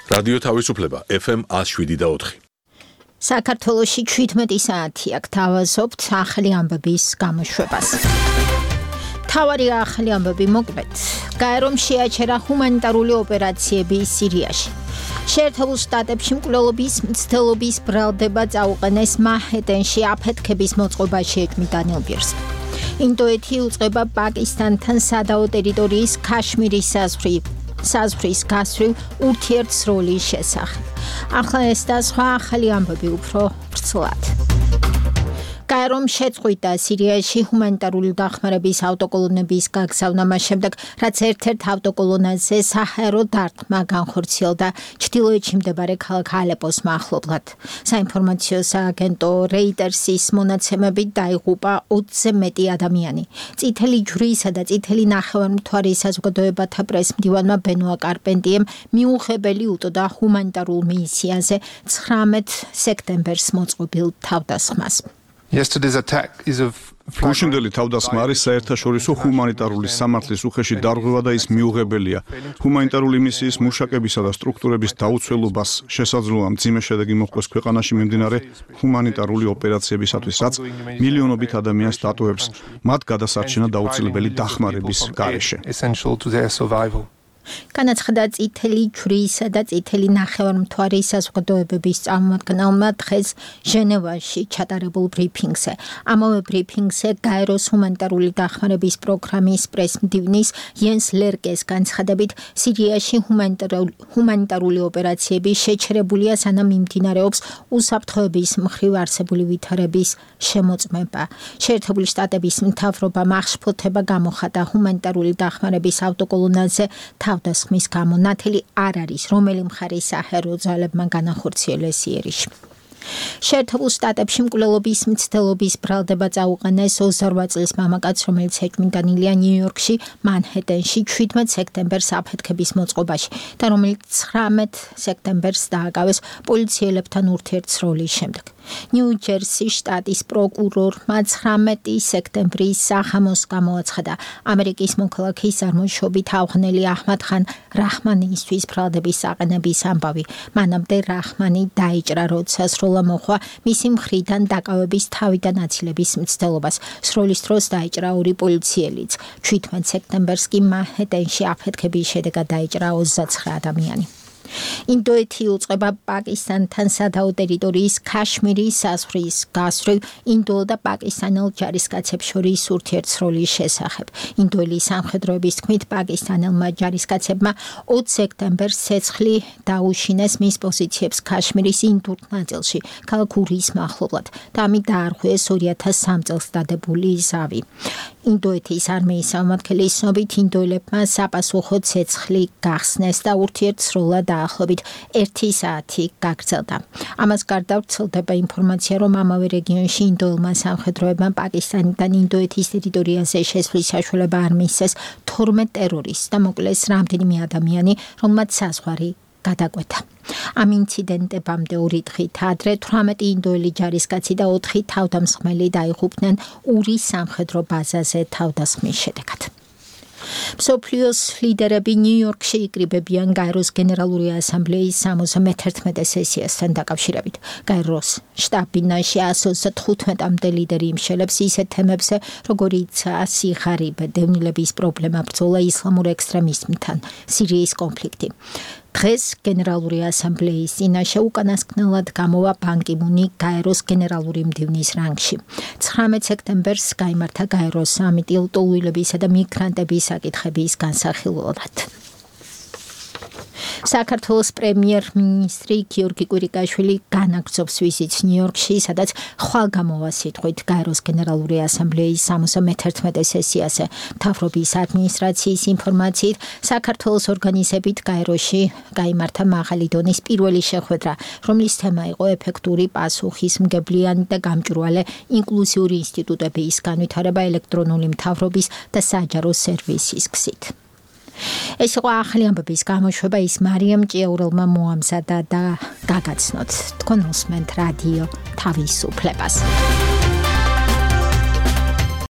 რადიო თავისუფლება FM 107.4. საქართველოში 17 საათია გთავაზობთ ახალი ამბების გამოშვებას. თავარი ახალი ამბები მოკლედ. გაერომ შეაჩერა ჰუმანიტარული ოპერაციები სირიაში. შეერთებულ შტატებში მკვლელობის მცდელობის ბრალდება წაუყენეს მანჰეტენში აფეთქების მოწყობაში ეჭვმით დანიელ ბირს. ინდოეთი უწყება პაკისტანთან სადაო ტერიტორიის ქაშმირის საზღვრის გასწვრივ ურთიერთსროლის შესახებ. ახლა ეს და სხვა ახალი ამბები უფრო ვრცლად. გაერომ შეწყვიტა სირიაში ჰუმანიტარული დახმარების ავტოკოლონების გაგზავნა მას შემდეგ, რაც ერთ-ერთ ავტოკოლონაზე საჰაერო დარტყმა განხორციელდა ჩრდილოეთში მდებარე ქალაქ ალეპოს მახლობლად. საინფორმაციო სააგენტო რეიტერსის მონაცემებით დაიღუპა 20-ზე მეტი ადამიანი. წითელი ჯვრისა და წითელი ნახევარმთვარის საზოგადოებათა პრესმდივანმა ბენუა კარპენტიემ მიუღებელი უტყდა ჰუმანიტარულ მისიაზე 19 სექტემბერს მოწყობილ თავდასხმას. გუშინდელი თავდასხმა არის საერთაშორისო ჰუმანიტარული სამართლის უხეში დარღვევა და ის მიუღებელია. ჰუმანიტარული მისიის მუშაკებისა და სტრუქტურების დაუცველობას შესაძლოა მძიმე შედეგი მოჰყოს ქვეყანაში მიმდინარე ჰუმანიტარული ოპერაციებისათვის, რაც მილიონობით ადამიანს დატოვებს მათ გადასარჩენა დაუცილებელი დახმარების გარეშე. განაცხადა წითელი ჯვრისა და წითელი ნახევარმთვარის საზოგადოებების წარმომადგენელმა დღეს ჟენევაში ჩატარებულ ბრიფინგზე. ამავე ბრიფინგზე გაეროს ჰუმანიტარული დახმარების პროგრამის პრესმდივნის იენს ლერკეს განცხადებით, სირიაში ჰუმანიტარული ოპერაციები შეჩერებულია, სანამ მიმდინარეობს უსაფრთხოების მხრივ არსებული ვითარების შემოწმება. შეერთებული შტატების მთავრობამ აღშფოთება გამოხატა ჰუმანიტარული დახმარების ავტოკოლონაზე თავდასხმის გამო. ნათელი არ არის, რომელი მხარის საჰაერო ძალებმა განახორციელეს იერიში. შეერთებულ შტატებში მკვლელობის მცდელობის ბრალდება წაუყენეს 28 წლის მამაკაცს, რომელიც ეჭვმით დანილია ნიუ-იორკში, მანჰეტენში 17 სექტემბერს აფეთქების მოწყობაში და რომელიც 19 სექტემბერს დააკავეს პოლიციელებთან ურთიერთსროლის შემდეგ. ნიუ-ჯერსის შტატის პროკურორმა 19 სექტემბრის სახამოს გამოაცხადა ამერიკის მოქალაქის წარმოშობით ავღანელი აჰმად ხან რაჰმანისთვის ბრალდების აყენების ამბავი. მანამდე რაჰმანი დაიჭრა, როცა სროლა მოხვა მისი მხრიდან დაკავების თავი და ნაცილების მცდელობას. სროლის დროს დაიჭრა 2 პოლიციელიც. 17 სექტემბერს კი მანჰეტენში აფეთქების შედეგად დაიჭრა 29 ადამიანი. ინდოეთი უწყება პაკისტანთან სადაო ტერიტორიის ქაშმირის საზღვრის გასწვრივ ინდოელ და პაკისტანელ ჯარისკაცებს შორის ურთიერთსროლის შესახებ. ინდოელი სამხედროების თქმით, პაკისტანელმა ჯარისკაცებმა 20 სექტემბერს ცეცხლი დაუშინეს მის პოზიციებს ქაშმირის ინდურ ნაწილში, ქალაქ ურის მახლობლად და ამით დაარღვიეს 2003 წელს დადებული ზავი. ინდოეთის არმიის წარმომადგენლის ცნობით, ინდოელებმა საპასუხო ცეცხლი გახსნეს და ურთიერთსროლა დაახლოებით 1 საათი გაგრძელდა. ამას გარდა ვრცელდება ინფორმაცია, რომ ამავე რეგიონში ინდოელმა სამხედროებმა პაკისტანიდან ინდოეთის ტერიტორიაზე შესვლის საშუალება არ მისცეს 12 ტერორისტს და მოკლეს რამდენიმე ადამიანი, რომელმაც საზღვარი გადაკვეთა. ამ ინციდენტებამდე 2 დღით ადრე 18 ინდოელი ჯარისკაცი და 4 თავდამსხმელი დაიღუპნენ ურის სამხედრო ბაზაზე თავდასხმის შედეგად. მსოფლიოს ლიდერები ნიუ-იორკში იკრიბებიან გაეროს გენერალური ასამბლეის 71 სესიასთან დაკავშირებით. გაეროს შტაბ-ბინაში 135-მდე ლიდერი იმშელებს ისეთ თემებზე, როგორიცაა სიხარიბე, დევნილების პრობლემა, ბრძოლა ისლამურ ექსტრემიზმთან, სირიის კონფლიქტი. დღეს გენერალური ასამბლეის წინაშე უკანასკნელად გამოვა ბან კი მუნი გაეროს გენერალური მდივნის რანგში. 19 სექტემბერს გაიმართა გაეროს სამიტი ლტოლვილებისა და მიგრანტების საკითხების განსახილველად. საქართველოს პრემიერ-მინისტრი გიორგი კვირიკაშვილი განაგრძობს ვიზიტს ნიუ-იორკში, სადაც ხვალ გამოვა სიტყვით გაეროს გენერალური ასამბლეის 71 სესიაზე. მთავრობის ადმინისტრაციის ინფორმაციით, საქართველოს ორგანიზებით გაეროში გაიმართა მაღალი დონის პირველი შეხვედრა, რომლის თემა იყო ეფექტური პასუხისმგებლიანი და გამჭვირვალე ინკლუზიური ინსტიტუტების განვითარება ელექტრონული მთავრობის და საჯარო სერვისის გზით. ეს იყო ახალი ამბების გამოშვება, ის მარიამ ჭიაურელმა მოამზადა და გაგაცნოთ. თქვენ უსმენთ რადიო თავისუფლებას.